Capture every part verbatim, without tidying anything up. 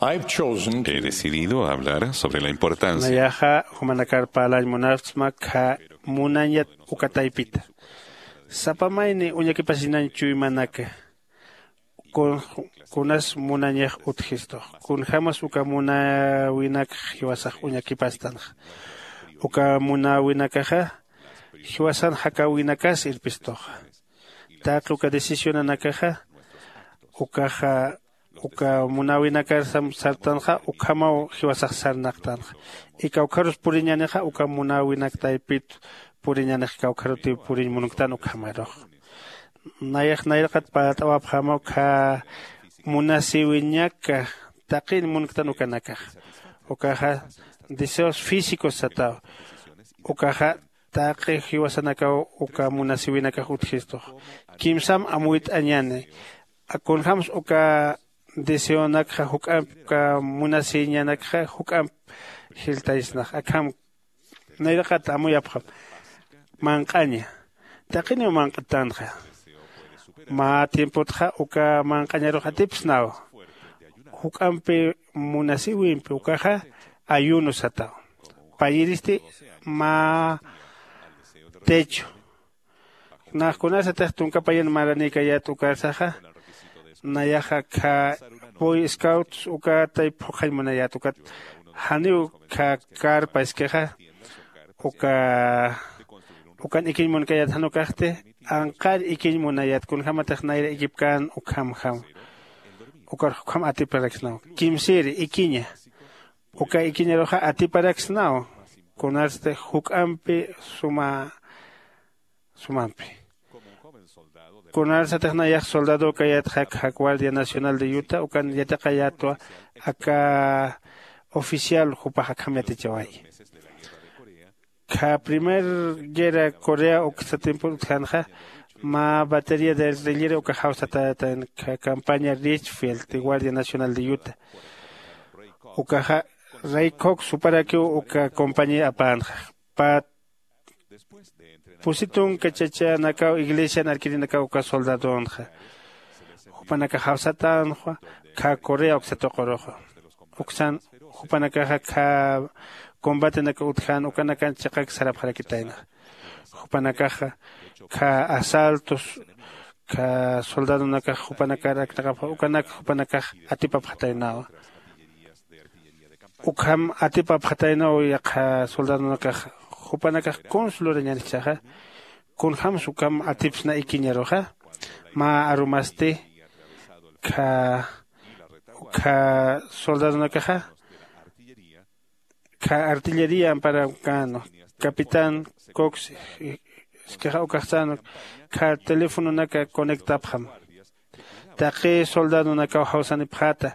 I've chosen to He decidido hablar sobre la importancia. Nayaxa jumanakar parlañ munapsma kha munañat uka taypita. Sapa mayni uñakipasinañ chuymanaka, kun- kunas munañax utjistux, kunjämas uka munäwinakx jiwasax uñakipastanxa. Uka munäwinakaxa jiwasan jakäwinakas irpistuxa. Taqi uka decisionanakaxa ukaxa uka munäwinakar sam- sartanxa ukhamaw jiwasax sarnaqtanxa. Y kawkharus puriñänixa uka munäwinak taypit puriñänix kawkharutiw puriñ munktan ukhamarux. Nayax nayraqat parlt'awapxämaw kha munasïwiñaka taqin munktan ukanakax. Ukaxa deseos físicos sataw. Ukaxa taqi jiwasanakaw uka munasïwinakax utjistux. Kimsam amuyt'añäni. Kunjämsa uka deseonakxa juk'amp uka munasïñanakxa juk'amp jiltaysnax akham. Nayraqat amuyapxam manq'aña. Taqiniw manq'tanxa. Mä tiempotxa uka manq'añarux atipsnaw. Juk'ampi munasïwimpi ukaxa ayuno sataw. Payiristi mä techo. Nax kunasatix tunka payan maranïkayät ukarsaxa. Nayaxa kha boy scouts uka tayp phuqhañ munayät ukat janiw kha carpa iskixa. Uka ukan ikiñ munkayät jan ukaxti anqar ikiñ munayät kunjämatix nayra ikipkän ukhamjam. Ukar jukjam atiparaksnaw kimsïri ikiña. Uka ikiñaruxa atiparaksnaw kunarsti juk'ampi suma sumampi. Kunarsatix nayax soldado kayätxa kha guardia nacional de utah ukan yatiqayätwa aka oficial jupax akham yatichawayi. Kha primer guerra corea uksa tiempo utjänxa mä batería de artillería uka jawsatätan kha campaña richfield de guardia nacional de utah. Ukaxa ray cox suparakiw uka compañía apänxa. Pät pusi tunka chachanakaw iglesian arkirinakaw uka soldadonxa. Jupanakax jawsatänxa kha correa uksa tuquruxa. Uksan jupanakaxa kha combatenaka utjän ukanakan chiqak sarapxarakitayna. Jupanakaxa kha asaltos kha soldadonakax jupanakar aknaqapxa ukanak jupanakax atipapxataynawa. Ukham atipapxataynaw yaqha soldadonakax jupanakax kuns lurañän jichhaxa. Kunjämsa ukham atipsna ikiñaruxa mä arumasti kha kha soldadonakaxa kha artillería amparakänwa. Capitán cox iskixa ukaxsänwa kha telefononaka conectapxam. Taqi soldadonakaw jawsanipxäta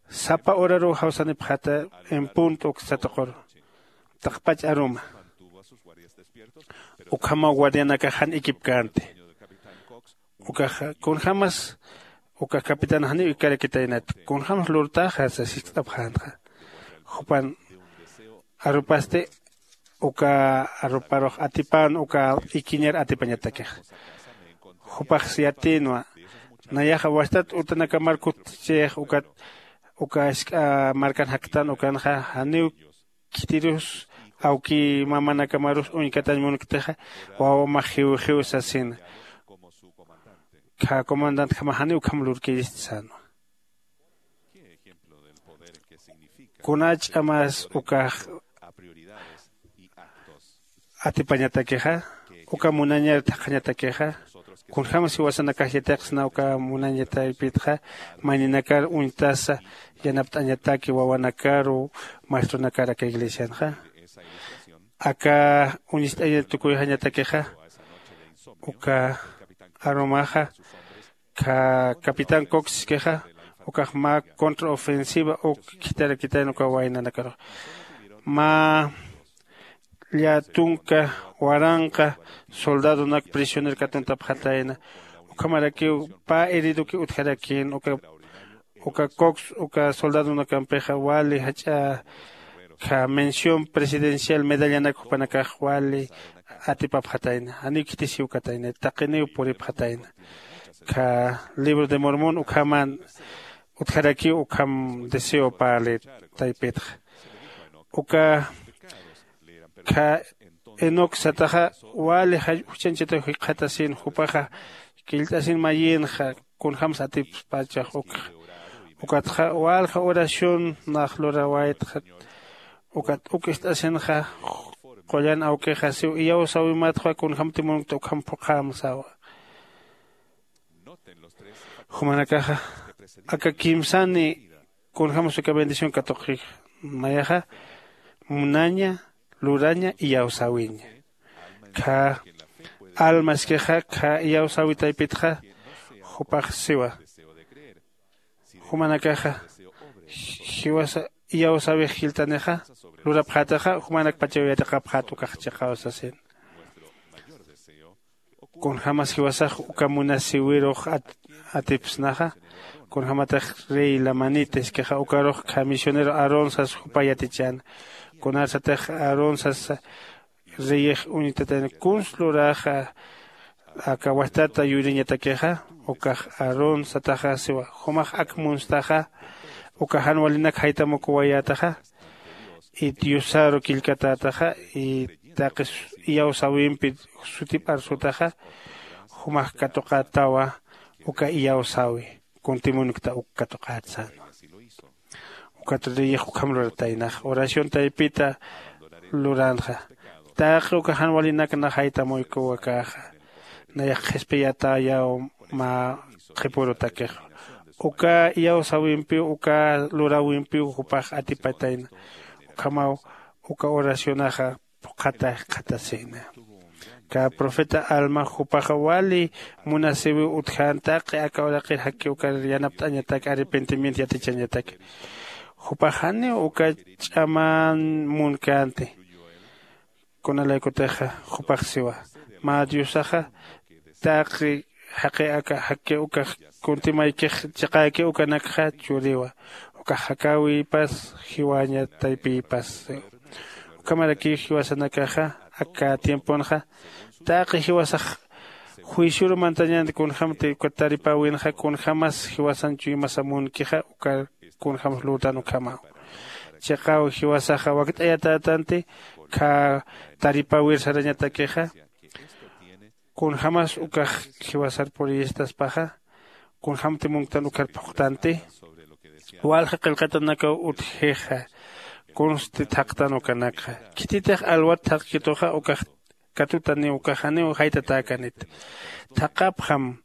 sapa horaruw jawsanipxäta en punto uksa tuquru taqpach aruma. Ukhamaw guardianakax jan ikipkänti. Ukaxa kunjämas uka capitán janiw ikarakitaynat kunjämas lurtaxa sasisk't'apxänxa. Jupan arupasti uka aruparux atipän uka ikiñar atipañatakixa. Jupax yatïnwa nayaxa wastat utanakamar kutchix ukat uka jisk'a markan jaktan ukanxa janiw khitirus awki mamanakamarus uñkatañ munktixa wawamax jiwjiw sasina. Kha comandantjamax janiw ukham lurkirist sänwa. Kuna ch'amas ukax atipañatakixa uka munañar thaqhañatakixa. Kunjämsa jiwasanakax yatiqsna uka munañataypitxa mayninakar uñtasa yanapt'añataki wawanakaru maestronakar aka iglesianxa. Aka uñist'añat tukuyxañatakixa uka arumaxa kha capitán cox iskixa ukax mä contraofensiva uk khitharakitayna uka waynanakarux mä llatunka waranqa soldadonak prisioner katuntapxatayna. Ukhamarakiw pä heridoki utjarakïn uka uka cox uka soldadonakampixa wali jach'a kha mención presidencial medallanak jupanakax wali atipapxatayna janiw khitisiwkatayna taqiniw puripxatayna. Kha libro de mormón ukhaman utjarakiw ukham deseo parli taypitxa. Uka kha enoc sataxa wali juchañchata jikxatasin jupaxa killt'asin mayinxa kunjämsa atipspachax ukxa. Ukatxa walja oración nax lurawaytxa. Ukat uk ist'asinxa qullan awkixa siw iyawsäwimatxa kunjämti munkta ukham phuqhäm sawa. Jumanakaxa aka kimsani kunjämsa uka bendición katuqix. Nayaxa munaña, luraña, iyawsäwiña. Kha alma iskixa kha iyawsäwi taypitxa jupax siwa. Jumanakaxa jiwasa iyawsäwix jilltanixa lurapxätaxa jumanakpachaw yatiqapxät ukax chiqaw sasin. Kunjämas jiwasax uka munasïwirux atipsnaxa kunjämatix rey lamanita iskixa ukarux kha misionero aarón sas jupa yatichäna. Kunarsatix aarón sasa reyix uñtatayna kuns luraxa aka wajtata yuriñatakixa. Ukax aarón sataxa siwa jumax ak munstaxa uka jan walinak jaytamukuwayätaxa. Y diosaru killkatätaxa y taqi iyawsäwimpi sutip arsutaxa jumax katuqätawa. Uka iyawsäwi kuntimunkta uk katuqät sänwa. Ukat reyix ukham lurataynax oración taypita luranxa. Taqi uka jan walinak nax jaytamuykuwakäxa nayax qhispiyatäyaw mä qhipürutakixa. Uka iyawsäwimpiw uka luräwimpiw jupax atipatayna. Ukhamaw uka oracionaxa phuqhata jikxatasïna. Kä profeta alma jupaxa wali munasïwiw utjän taqi aka uraqir jakki ukar yanapt'añatak arrepentimiento yatichañatak. Jupax janiw uka ch'aman munkänti. Kunalaykutixa jupax siwa mä diosaxa taqi jaqi aka jakki ukax kuntimaykix chiqäki ukanakxa churiwa. Ukax jakäwipas jiwaña taypïpas. Ukhamarakiw jiwasanakaxa aka tiemponxa taqi jiwasax juicioru mantañänti kunjämti uka taripäwinxa kunjämas jiwasan chuymasa munkixa uka kunjämas lurtan ukhamaw. Chiqaw jiwasaxa wakt'ayatätanti kha taripäwir sarañatakixa. Kunjämas ukax jiwasar puriyistaspaxa kunjämti munktan ukar phuqtanti. Walja qillqatanakaw utjixa kunsti thaqtan ukanakxa. Khititix alwat thaqkituxa ukax katutaniw ukax janiw jaytatäkanit. Thaqhapxam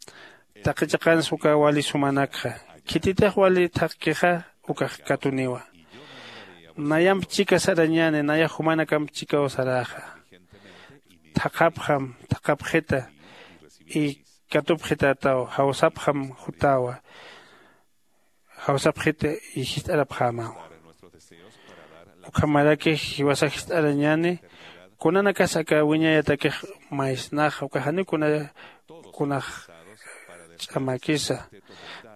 taqi chiqans uka wali sumanakxa. Khititix wali thaqkixa ukax katuniwa. Nayamp chika sarañäni nayax jumanakamp chikaw saräxa. Thaqhapxam thaqhapxita y katupxitätaw jawsapxam jutäwa. Jawsapxita y jist'arapxämawa. Ukhamaraki jiwasax jist'arañäni kunanakas aka wiñayatakix maysnaxa uka janiw kuna kunax ch'amäkisa.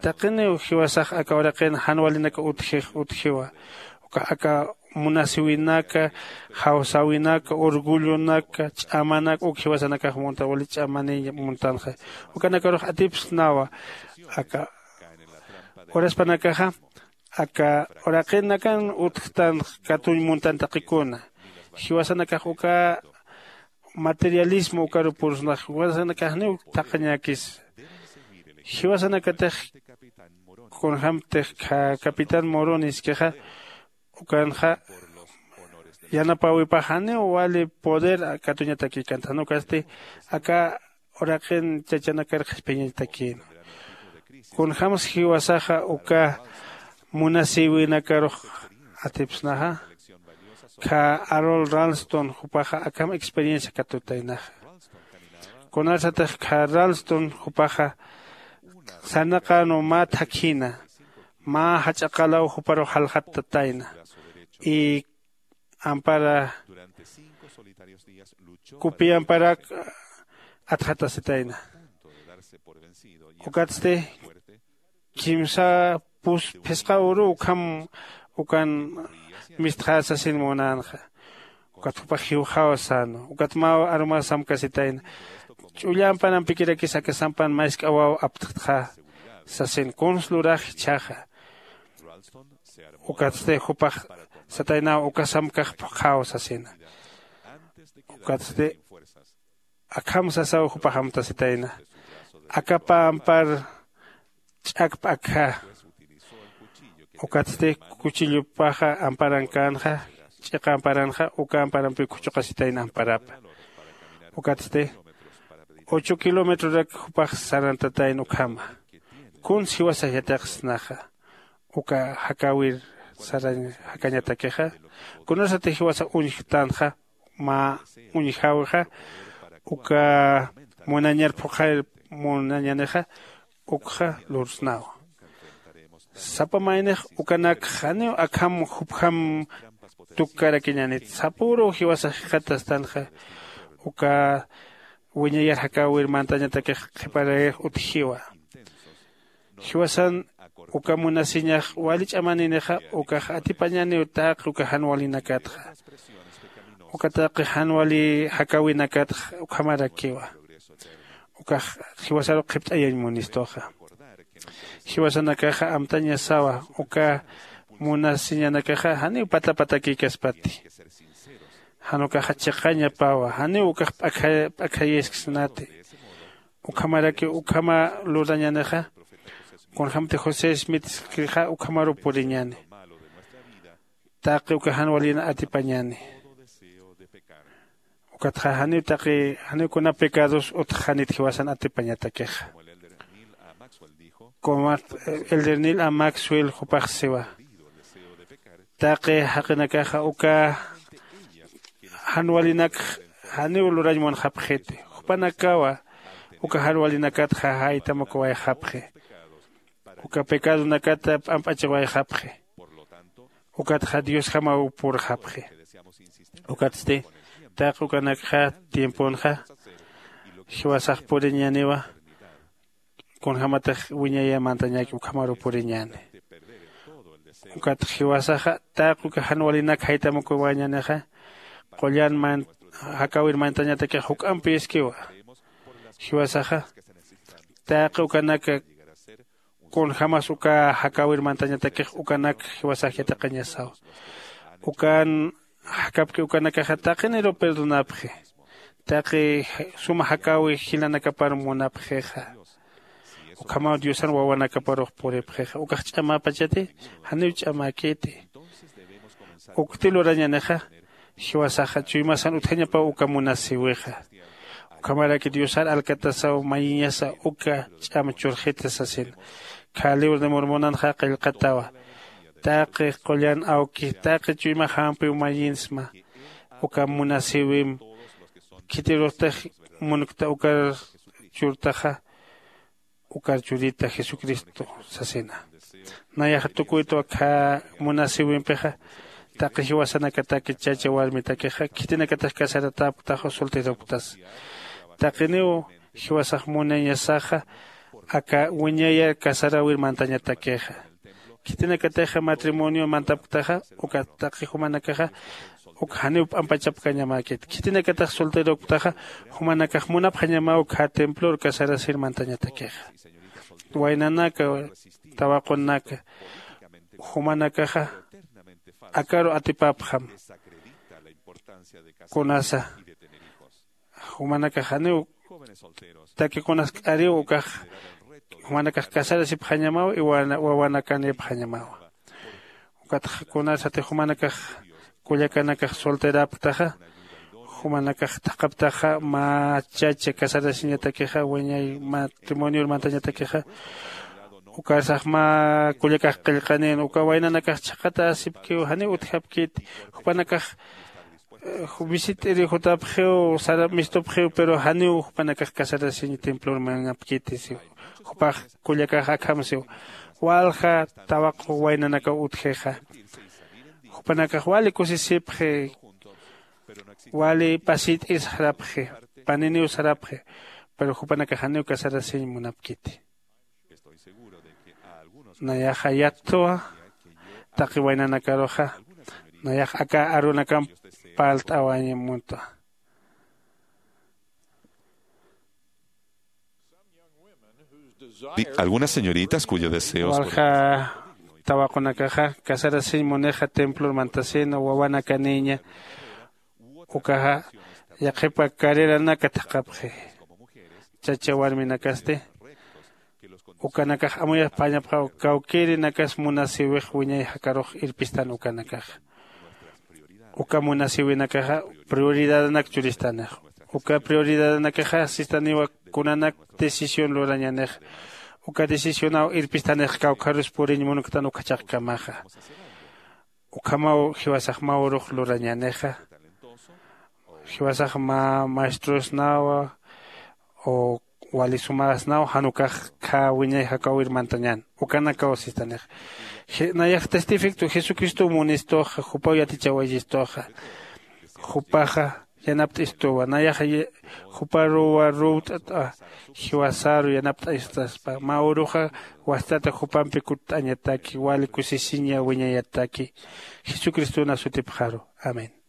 Taqiniw jiwasax aka uraqin jan walinak utjix utjiwa. Ukax aka munasïwinaka jawsäwinaka orgullonaka ch'amanaka uk jiwasanakax munta wali ch'amaniy muntanxa. Ukanakarux atipsnawa aka uraspanakaxa aka uraqinakan utjtan katuñ muntan taqikuna. Jiwasanakax uka materialismo ukaru pursnax jiwasanakaxniw thaqhañäkis. Jiwasanakatix kunjämtix capitán moroni iskixa ukanxa yanapäwipax janiw wali poder katuñatakïkanta jan ukasti aka uraqin chachanakar qhispiyañatakïna. Kunjämsa jiwasaxa uka munasïwinakarux atipsnaxa. Kha arol ralston jupaxa akham experiencia katutaynaxa. Kunarsatix kha ralston jupaxa sarnaqänwa mä thakjina mä jach'a qalaw juparux jaljattatayna y ampara kupi amparak atxatasitayna. Ukatsti kimsa pus phisqa uru ukham ukan mistxäsasin munänxa. Ukat jupax jiwxaw sänwa ukat mä arumaw samkasitayna. Ch'ullampan ampikirakis aka sampan maysk'awaw aptxtxa sasin kuns lurax jichhaxa. Ukatsti jupax sataynaw uka samkax phuqhaw sasina. Ukatsti akham sasaw jupax amtasitayna. Akapa ampar ch'akp akja. Ukatsti kuchillupaxa amparankänxa ch'iqa amparanxa uka amparampiw khuchuqasitayna amparapa. Ukatsti ocho kilometrorak jupax sarantatayna ukhama. Kuns jiwasax yatiqsnaxa uka jakäwir sarañ jakañatakixa? Kunasati jiwasa uñjtanxa mä uñjäwixa uka munañar phuqhayir munañanixa ukxa lursnawa. Sapa maynix ukanakx janiw akham jupjam tukkarakiñänit sapüruw jiwasax jikxatastanxa uka wiñayar jakäwir mantañatakix qhiparayix utjiwa. Jiwasan uka munasiñax wali ch'amaninixa ukax atipañaniw taqi uka jan walinakatxa. Uka taqi jan wali jakäwinakatxa ukhamarakiwa. Ukax jiwasaru qhipt'ayañ munistuxa. Jiwasanakaxa amtañasawa uka munasiñanakaxa janiw pata patakïkaspati. Jan ukaxa chiqañapawa janiw ukax p'akha p'akhayaskisnati. Ukhamaraki ukhama lurañanixa kunjämti josé smithskixa ukhamaruw puriñäni. Taqi uka jan walin atipañäni. Ukatxa janiw taqi janiw kuna pecados utjxanit jiwasan atipañatakixa. Como elder nil a maxwell jupax siwa, taqi jaqinakaxa uka jan walinakx janiw lurañ munxapxiti. Jupanakawa uka jan walinakatxa jaytamukuwayxapxi. Uka pecadonakata p'amp'achiwayxapxi. Ukatxa diosjamaw purxapxi. Ukatsti taqi ukanakxa tiemponxa jiwasax puriñäniwa. Kunjämatix wiñayay mantañäki ukhamaruw puriñäni. Ukat jiwasaxa taqi uka jan walinak jaytamukuwañänixa qullan jakäwir mantañatakix juk'ampiskiwa. Jiwasaxa taqi ukanaka kunjämas uka jakäwir mantañatakix ukanak jiwasax yatiqañasaw. Ukan jakapki ukanakaxa taqiniruw perdonapxi. Taqi suma jakäwi jilanakapar munapxixa. Ukhamaw diosan wawanakaparux puripxixa ukax ch'amapachati. Janiw ch'amäkiti. Ukti lurañanixa jiwasaxa chuymasan utjañapaw uka munasïwixa. Ukhamaraki diosar alkatasaw mayiñasa uka ch'am churxita sasina. Khä libro de mormonanxa qillqatawa taqi qullan awki taqi chuymax jampiw mayinsma. Uka munasïwim khitiruxtix munkta ukar churtaxa ukar churita jesucristo sasina. Nayaxa tukuytwa khä munasïwimpixa taqi jiwasanakataki chacha warmitakixa khitinakatix casaratäpktaxa solteropktas. Taqiniw jiwasax munañasaxa aka wiñayar casaräwir mantañatakixa. Khitinakatixa matrimonio mantapktaxa uka taqi jumanakaxa uk janiw p'ampachapkañamäkit. Khitinakatax solteropktaxa jumanakax munapxañamaw khä templor casarasir mantañatakixa. Waynanaka tawaqunaka jumanakaxa akaru atipapxam. Kunasa jumanakax janiw takiqunas k'ariw ukax jumanakax casarasipxañamaw y wawanakanipxañamaw. Ukatxa kunasati jumanakax kullakanakax solterapktaxa jumanakax thaqhaptaxa mä chacha casarasiñatakixa wiñay matrimonior mantañatakixa. Ukarsax mä kullakax qillqanin uka waynanakax chhaqatäsipkiw janiw utjapkiti. Jupanakax visit'iri jutapxiw sarap mistupxiw pero janiw jupanakax casarasiñ templor manapkiti siw. Jupax kullakax akham siw walja tawaq waynanakaw utjixa. Jupanakax wali kusisipxi wali pasit'ir sarapxi paniniw sarapxi. Pero jupanakax janiw casarasiñ munapkiti. Nayaxa yattwa taqi waynanakaruxa nayax aka arunakamp parlt'awañ muntwa. Di- algunas señoritas cuyo deseo es por walja tawaqunakaxa casarasiñ munixa templor mantasïna wawanakanïña. Ukaxa yaqhipa carreranaka thaqhapxi. Chacha warminakasti ukanakax amuyapxañapxaw kawkïrinakas munasïwix wiñay jakarux irpistan ukanakaxa. Uka munasïwinakaxa prioridadanak churistanix. Uka prioridadanakaxa sistaniwa kunanak decisión lurañanix. Uka decisionaw irpistanix kawkharus puriñ munktan ukhachaqkamaxa. Ukhamaw jiwasax mä urux lurañänixa. Jiwasax mä maestrosnawa o wali sumäsnaw jan ukax khä wiñay jakawir mantañän. Ukanakaw sistanixa. Nayax testifictu jesucristow munistuxa jupaw yatichawayistuxa. Jupaxa yanapt'istuwa nayaxa juparuwa ruwt'at'a. Jiwasaru yanapt'astaspa mä uruxa wastata jupampi kutt'añataki wali kusisiña wiñayataki. Jesucristona sutipxaru. Amén.